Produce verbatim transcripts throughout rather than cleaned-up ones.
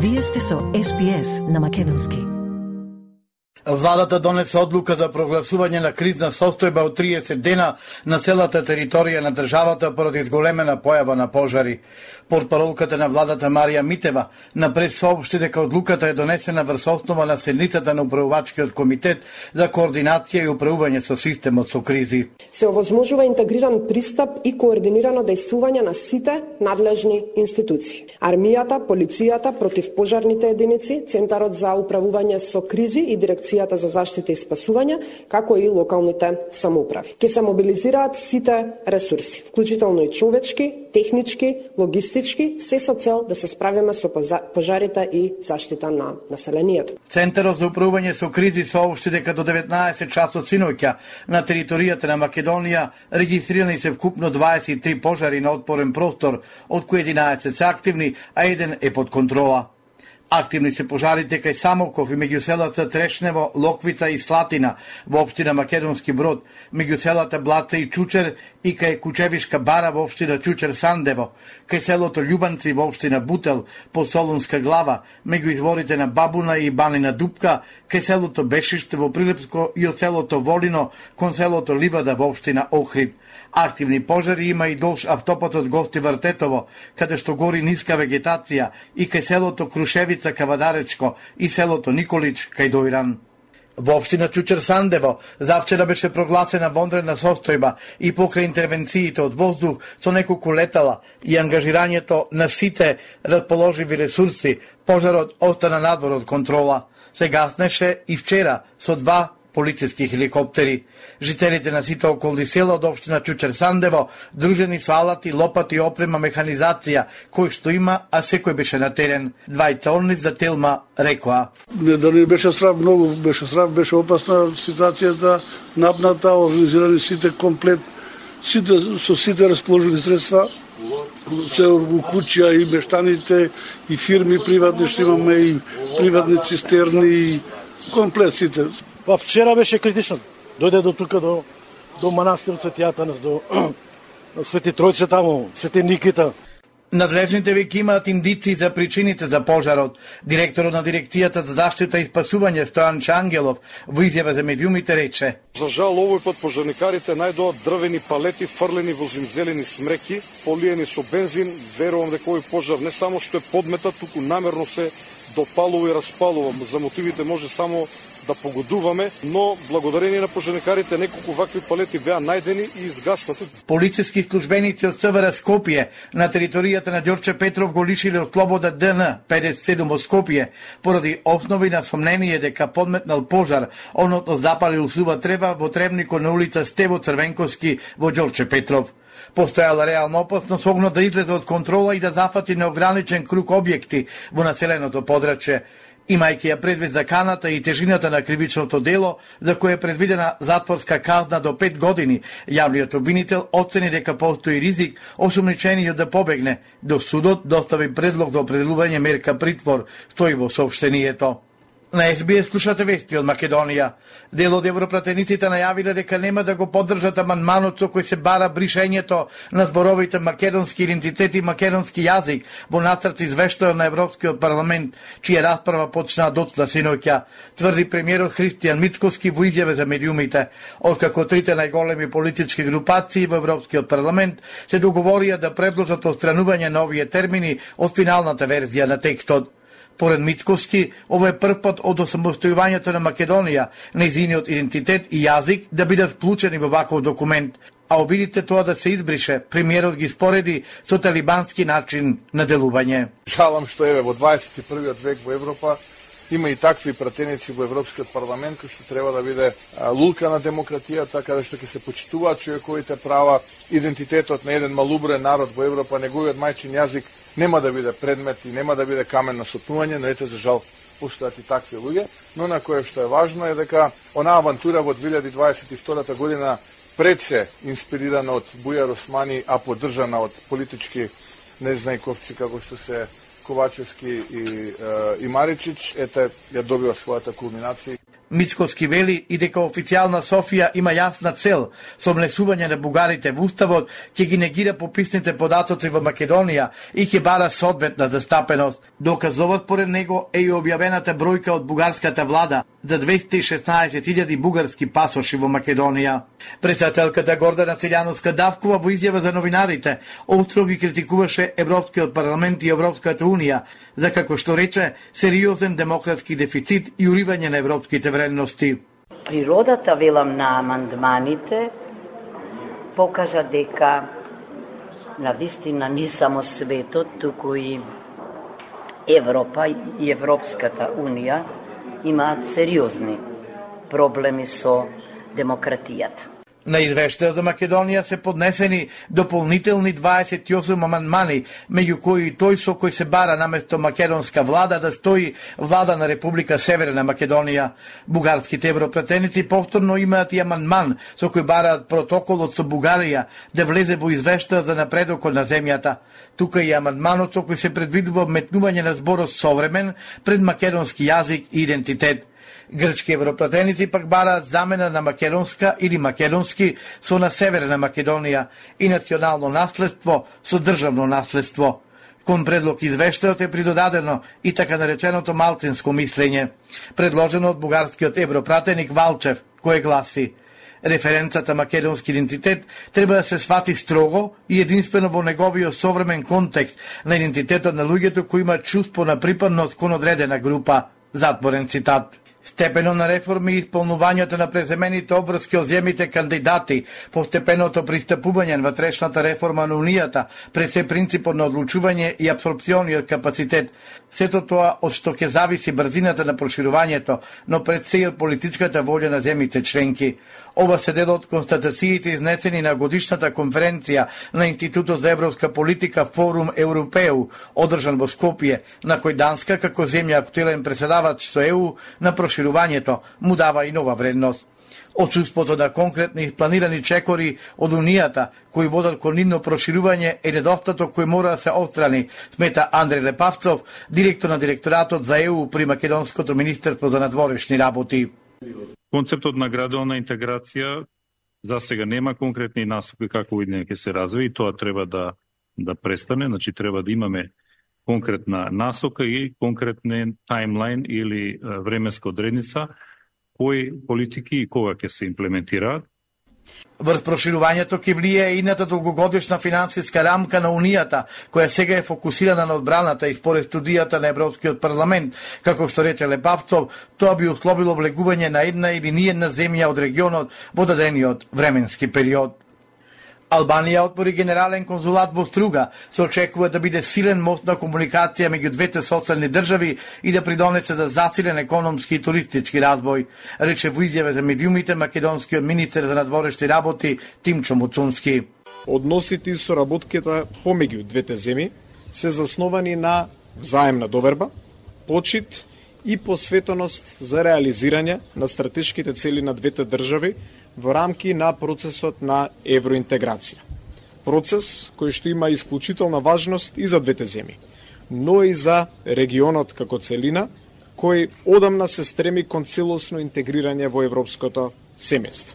Вие сте со Ес Би Ес на македонски. Владата донесе одлука за прогласување на кризна состојба од триесет дена на целата територија на државата поради зголемена појава на пожари. Портпаролката на владата Марија Митева напред соопшти дека одлуката е донесена врз основа на седницата на управувачкиот комитет за координација и управување со системот со кризи. Се овозможува интегриран пристап и координирано дејствување на сите надлежни институции. Армијата, полицијата, противпожарните единици, Центарот за управување со кризи и Дирекцијата за заштита и спасување, како и локалните самоуправи. Ке се мобилизираат сите ресурси, вклучително и човечки, технички, логистички, се со цел да се справиме со пожарите и заштита на населението. Центарот за управување со кризи соопшти дека до деветнаесет часот синоќа на територијата на Македонија регистрирани се вкупно дваесет и три пожари на отпорен простор, од кои единаесет се активни, а еден е под контрола. Активни се пожарите кај Самоков и меѓу селата Трешнево, Локвица и Слатина во општина Македонски Брод, меѓу селата Блаца и Чучер и кај Кучевишка бара во општина Чучер Сандево, кај селото Љубанци во општина Бутел, по Солунска глава, меѓу изворите на Бабуна и Банина Дупка, кај селото Бешиште во Прилепско и од селото Волино кон селото Ливада во општина Охрид. Активни пожари има и долж автопатот Гости Вртетово, каде што гори ниска вегетација, и кај селото Крушевица Кавадаречко и селото Николич кај Дојран. Во општина Чучер Сандево завчера беше прогласена вонредна состојба и покрај интервенциите од воздух со неколку летала и ангажирањето на сите расположиви ресурси, пожарот остана надвор од контрола. Се гаснеше и вчера со два полициски хеликоптери. Жителите на сите околни села од општина Чучер Сандево дружени со алати, лопати и опрема механизација кој што има, а секој беше на терен. Двајца за Телма рекоа: Не, да не беше срав, многу беше срав, беше опасна ситуацијата, напната, организирани сите комплет, сите со сите расположени средства, се у куќа и мештаните и фирми приватни што имаме и приватни цистерни и комплет сите. Па вчера беше критично. Дојде до тука до до манастир Свети Атанас, до Свети Тројце таму, Свети Никита. Надлежните веќе имаат индици за причините за пожарот. Директорот на Дирекцијата за заштита и спасување Стојан Чангелов во изјава за медиумите рече: За жал овој пат пожарникарите најдоа дрвени палети фрлени во зимзелени смреки, полиени со бензин. Верувам дека овој пожар не само што е подметат, туку намерно се допалува и распалува. За мотивите може само да погодуваме, но благодарение на пожарникарите неколку вакви палети беа најдени и изгаснати. Полициски службеници од СВР Скопје на територијата на Ѓорче Петров го лишиле од слобода ДН педесет и седум во Скопје поради основи на сомнение дека подметнал пожар, односно запалил сува трева во тревникот на улица Стево Црвенковски во Ѓорче Петров. Постојала реална опасност огнот да излезе од контрола и да зафати неограничен круг објекти во населеното подрачје. Имајќи ја предвид заканата и тежината на кривичното дело, за кое е предвидена затворска казна до пет години, јавниот обвинител оцени дека постои ризик осумничениот да побегне, до судот достави предлог за определување мерка притвор, стои во соопштението. На Ес Би Ес слушате вести од Македонија. Дел од европратениците најавиле дека нема да го поддржат амандманот со кој се бара бришењето на зборовите македонски идентитет и македонски јазик во нацрт извештај на Европскиот парламент, чија расправа почна доцна синоќа, тврди премиерот Христијан Мицкоски во изјава за медиумите, откако трите најголеми политички групации во Европскиот парламент се договорија да предложат отстранување на овие термини од финалната верзија на текстот. Поред Мицкоски, ова е прв пат од осамостојувањето на Македонија, нејзиниот идентитет и јазик да бидат вклучени во ваков документ, а обидите тоа да се избрише, премиерот ги спореди со талибански начин на делување. Жалам што еве во дваесет и првиот век во Европа има и такви пратеници во Европскиот парламент кои што треба да биде лулка на демократијата, каде што ќе се почитуваат човековите права, идентитетот на еден малубрен народ во Европа, неговиот мајчин јазик нема да биде предмет и нема да биде камен на сопнување, но ете за жал постојат и такви луѓе, но на кое што е важно е дека онаа авантура во две илјади дваесет и втора година пред се инспирирана од Бујар Османи, а поддржана од политички незнајковци како што се Ковачевски и, и Маричич, ете ја добива својата кулминација. Мицкоски вели и дека официјална Софија има јасна цел со внесување на бугарите во уставот, ќе ги негира пописните податоци во Македонија и ќе бара соодветна застапеност. Доказовот според него е и објавената бројка од бугарската влада за двесте и шеснаесет илјади бугарски пасоши во Македонија. Председателката Гордана Циљановска Давкова во изјава за новинарите остро ги критикуваше Европскиот парламент и Европската унија за, како што рече, сериозен демократски дефицит и уривање на европските вредности. Природата, велам, на амандманите покажа дека навистина не само светот, туку и Европа и Европската унија имаат сериозни проблеми со демократијата. На извештајот за Македонија се поднесени дополнителни дваесет и осум амандмани, меѓу кои и тој со кој се бара наместо македонска влада да стои влада на Република Северна Македонија. Бугарските европратеници повторно имаат и амандман со кој бараат протоколот со Бугарија да влезе во извештајот за напредокот на земјата. Тука и амандманот со кој се предвидува вметнување на зборот современ пред македонски јазик и идентитет. Грчки европратеници пак бараат замена на македонска или македонски со на Северна Македонија и национално наследство со државно наследство. Кон предлог извештајот е придодадено и така нареченото малцинско мислење, предложено од бугарскиот европратеник Валчев, кој гласи: референцата македонски идентитет треба да се свати строго и единствено во неговиот современ контекст на идентитетот на луѓето кои имаат чувство на припадност кон одредена група. Затворен цитат. Степено на реформи и исполнувањето на преземените обврски од земјите кандидати, постепеното пристапување на ватрешната реформа на Унијата, пред се принципот на одлучување и апсорбциониот капацитет, сето тоа од што ќе зависи брзината на проширувањето, но пред се и од политичката волја на земјите членки. Ова се дел од констатациите изнесени на годишната конференција на Институтот за европска политика Форум Европеу, одржан во Скопје, на кој Данска, како земја актуелен преседавач со Е У на проширувањето, му дава и нова вредност. Отсуството на конкретни и планирани чекори од Унијата, кои водат кон нивно проширување, е недостаток кој мора да се отстрани, смета Андреј Лепавцов, директор на директоратот за Е У при Македонското министерство за надворешни работи. Концептот на градуална интеграција за сега нема конкретни насоки како идење ќе се развие и тоа треба да да престане, значи треба да имаме конкретна насока и конкретен таймлайн или временска одредница кои политики и кога ќе се имплементираат. Врз проширувањето ќе влијае ината долгогодишна финансиска рамка на Унијата, која сега е фокусирана на одбраната и според студијата на Европскиот парламент, како што рече Лепавцов, тоа би условило влегување на една или ниедна земја од регионот во дадениот временски период. Албанија отвори генерален конзулат во Струга, се очекува да биде силен мост на комуникација меѓу двете соседни држави и да придонесе за засилен економски и туристички разбој, рече во изјава за медиумите македонскиот министер за надворешни работи Тимчо Муцунски. Односите и соработката помеѓу двете земји се засновани на взаемна доверба, почит и посветеност за реализирање на стратешките цели на двете држави во рамки на процесот на евроинтеграција. Процес кој што има исклучителна важност и за двете земји, но и за регионот како целина, кој одамна се стреми кон целосно интегрирање во европското семејство.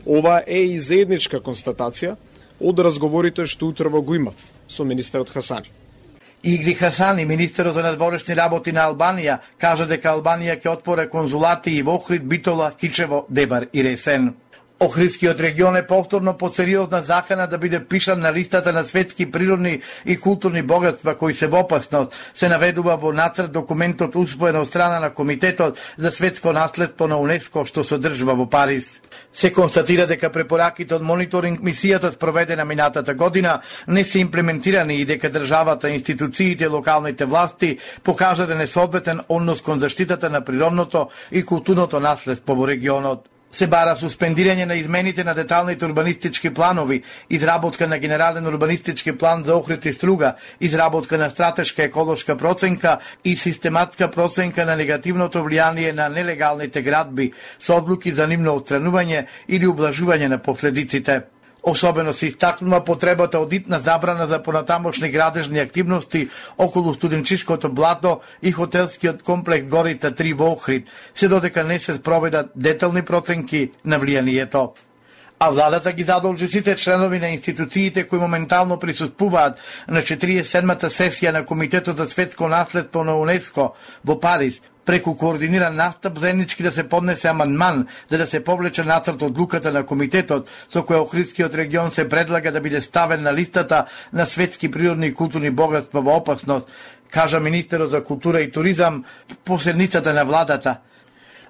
Ова е и заедничка констатација од разговорите што утрово го имав со министерот Хасани. Игри Хасани, министерот за надворешни работи на Албанија, кажа дека Албанија ќе отвори конзулати и во Охрид, Битола, Кичево, Дебар и Ресен. Охридскиот регион е повторно под сериозна закана да биде пишан на листата на светски природни и културни богатства кои се во опасност, се наведува во нацрт документот усвоен од страна на Комитетот за светско наследство на УНЕСКО што се одржува во Париз. Се констатира дека препораките од мониторинг мисијата спроведена минатата година не се имплементирани и дека државата, институциите и локалните власти покажале несоодветен однос кон заштитата на природното и културното наследство во регионот. Се бара суспендирање на измените на деталните урбанистички планови, изработка на генерален урбанистички план за Охрид и Струга, изработка на стратешка еколошка проценка и систематска проценка на негативното влијание на нелегалните градби со одлуки за нивно отстранување или ублажување на последиците. Особено се истакнува потребата од итна забрана за понатамошни градежни активности околу студенчишкото блато и хотелскиот комплекс Горите три во Охрид, се додека не се спроведат детални проценки на влијанието. А владата ги задолжи сите членови на институциите кои моментално присуствуваат на четириесет и седмата сесија на Комитетот за светско наследство на УНЕСКО во Париз, преку координиран настап заеднички да се поднесе амандман за да се повлече нацрт одлуката на комитетот со која Охридскиот регион се предлага да биде ставен на листата на светски природни и културни богатства во опасност, кажа министерот за култура и туризам по седницата на владата.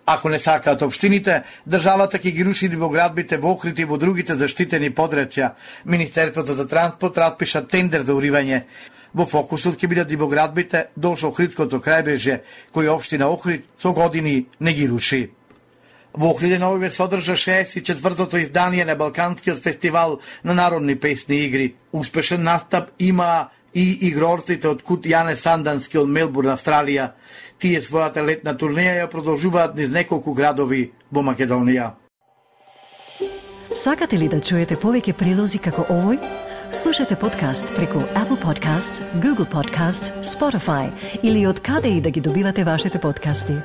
Ако не сакаат општините, државата ќе ги руши ривоградбите во Охрид и во другите заштитени подрачја. Министерството за транспорт распиша тендер за уривање. Во фокусот ќе бидат ривоградбите долж Охридското крајбрежје, кој општина Охрид со години не ги руши. Во Охрид Нови содржа шеесет и четвртото издание на Балканскиот фестивал на народни песни и игри. Успешен настап има и игрорците од Кут Јане Сандански од Мелбурн, Австралија. Тие својата летна турнеја ја продолжуваат низ неколку градови во Македонија. Сакате ли да чуете повеќе прилози како овој? Слушате подкаст преку Apple Podcasts, Google Podcasts, Spotify или од каде и да ги добивате вашите подкасти.